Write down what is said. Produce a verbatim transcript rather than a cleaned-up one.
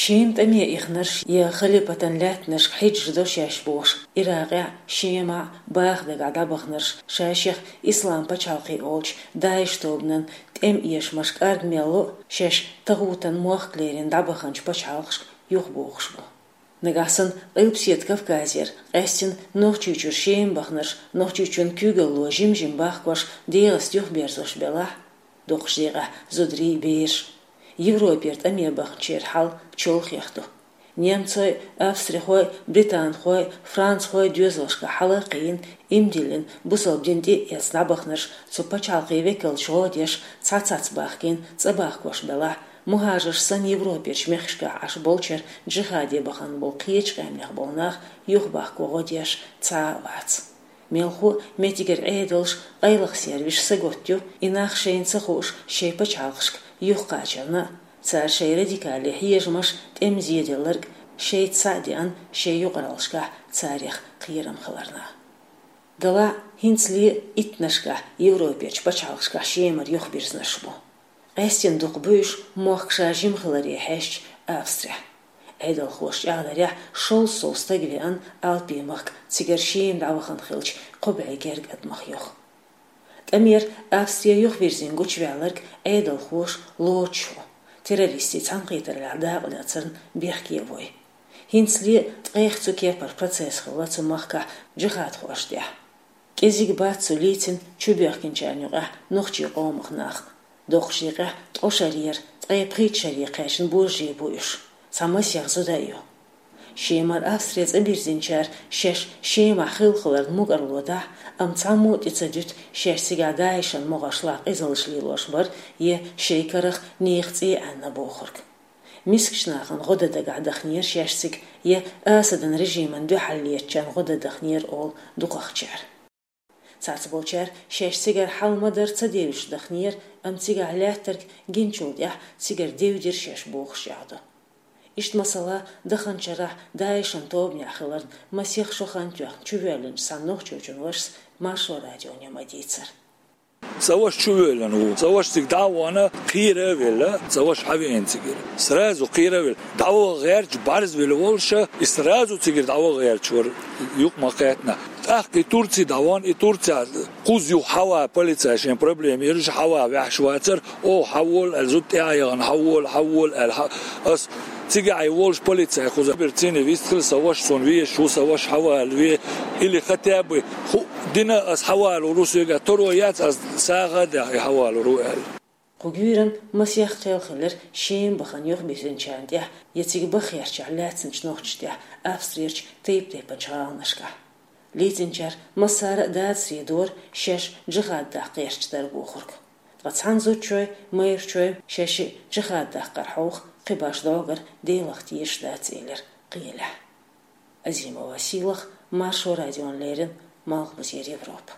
Шема тӀаме ихнарш я халипатан лаьттанашка хьежжа до шаьш бохуш, Иракъехь, Шемахь баха дагахь дӀабахнарш, шаьшех ислам пачхьалкхе олучу ДАИШ тобанан тӀеман эшамаш кӀарга мел ло а, шаьш тахутан мохк лерина дӀабаханчу пачхьалкхашка юхабохуш бу. Нагахь санна Къилбаседа Кавказера, къаьстина Нохчийчуьра Шема бахнарш, Нохчийчоьнан куьйгалло жим-жима бахкош, ДегӀаста юхаберзош белахь, дукхачу декъехь зударий, бераш, Европера тӀаме баханчеран хьал чолхе ду. Немцойн, австрихойн, британхойн, францхойн доьзалшкахь хьала а кхиийна, иман диллина, бусалба дин тӀе а эцна дӀабахнарш, цу пачхьалкхийн векалша гӀо деш, цхьацца бахкийна, цӀа бахкош белахь, мухӀажарш санна Европерчу мехкашкахь Ӏаш болчара, джихаде бахана болу кхечу къаьмнех болу нах юхабахко гӀо деш цхьа а вац. Мелхо а меттигера Ӏедалш, къайлаха сервисаш сагатдо, и нах шайна ца хууш шайн пачхьалкхашка юхакхачарна а, цара шайн радикале хьежамаш, тӀеман зеделларг шайца схьа а деана, шайн юкъараллашкахь царех кхерам хиларна а. Делахь а, хӀинцале а иттаннашкахь Европерчу пачхьалкхашкахь Шемара юхабирзинарш бу. Къаьстина дукха бу уьш мохк ша жима хиларе хьаьжча Австрехь. Ӏедалхоша чӀагӀдарехь, шовзткъа сов стаг веана Алпийн махка, цигара Шема дӀавахана хилча, кхо бӀе гергга адамах юха. ТӀамера Австре юхавирзина гучуваьлларг Ӏедалхоша лоцуш ву, террористийн цхьаьнакхетараллехь дакъа лацарна бехке а вой. ХӀинцале а ткъех цу кепара процесс хилла цу махкахь джихадхошна тӀехь. КӀезиг бац цу лийцина чубоьхкинчарна юкъахь нохчийн къомах нах а. Доккхачу декъехь ткъа шарера, ткъе пхийтта шаре кхаьчна божарий бу уьш, цхьа масех зуда а ю. Шемара Австре цӀа бирзинчара шаьш Шемахь хилла хиларна мукӀарло дахь, амма цхьаммо а тӀе ца дуьту шаьш цигахь ДАИШан могӀаршлахь къизаллаш лелош бар я шайн карах нехан цӀий Ӏаьнна бохург. Мискачу нахана гӀо дан дагахь дахнера шаьш цига я Асадан режимна дуьхьал лецначарна гӀо дан дахнера олу дукхахчара. Цхьацца болчара шаьш цигара хьал ма-дарра ца девзаш дахнера, амма цигахь лаьттарг гиначул тӀаьхьа цигара девдира шаьш бохуш чӀагӀдо. Иштта масала, даханчу шарахь ДАИШан тобанехь хиларна масех шо хан тоьхна чувоьллинчу цхьана нохчочун вашас Маршо радионе ма-дийццара. Сан ваша чувоьллина ву. Сан ваша цига дӀа а вахана, кхера а велла, сан ваша хьавеана цигара. Сразу кхера а велла. ДӀаваха гӀерташ бӀарзвелла волуша, и сразу цигара дӀаваха гӀерташ вара, юкъа ма-кхаьттина. ТӀаккха и Турци дӀавахана, и Турцехь кхуза юха хьаваха полицай шен проблема йолуш, хьаваха ваьхьаш вацара, оха хьавола аьлла, зуда тӀе а яхана, хьавола, хьавола аьлла, хьа-, ас Цигахь волуш полицай кхуза бер цӀийне вистхила, сан ваша суна везаш ву, сан ваша хьавала ве, или хотя бы хӀу дина ас хьавалур ву, соьгахь таро яц, ас сагӀа а даьхна и хьавалур ву аьлла. Кху гуьйранна масех кхел хилира Шема бахана юхабирзинчарна тӀехь я цига баха гӀертачохь лаьцначу нохчашна тӀехь Австрерчу тайп-тайпанчу гӀаланашкахь. Лийцинчара массара а дацаре дора шаьш джихад даккха гӀерташ дара бохург. Ткъа цхьана зудчой, майрачой шаьш джихад даккхар хьовха, кхин башха догӀур Делах тешаш дац, элира кхелехь. Азимова Сийлаха, Маршо радиона леррина, Малхбузера Европа.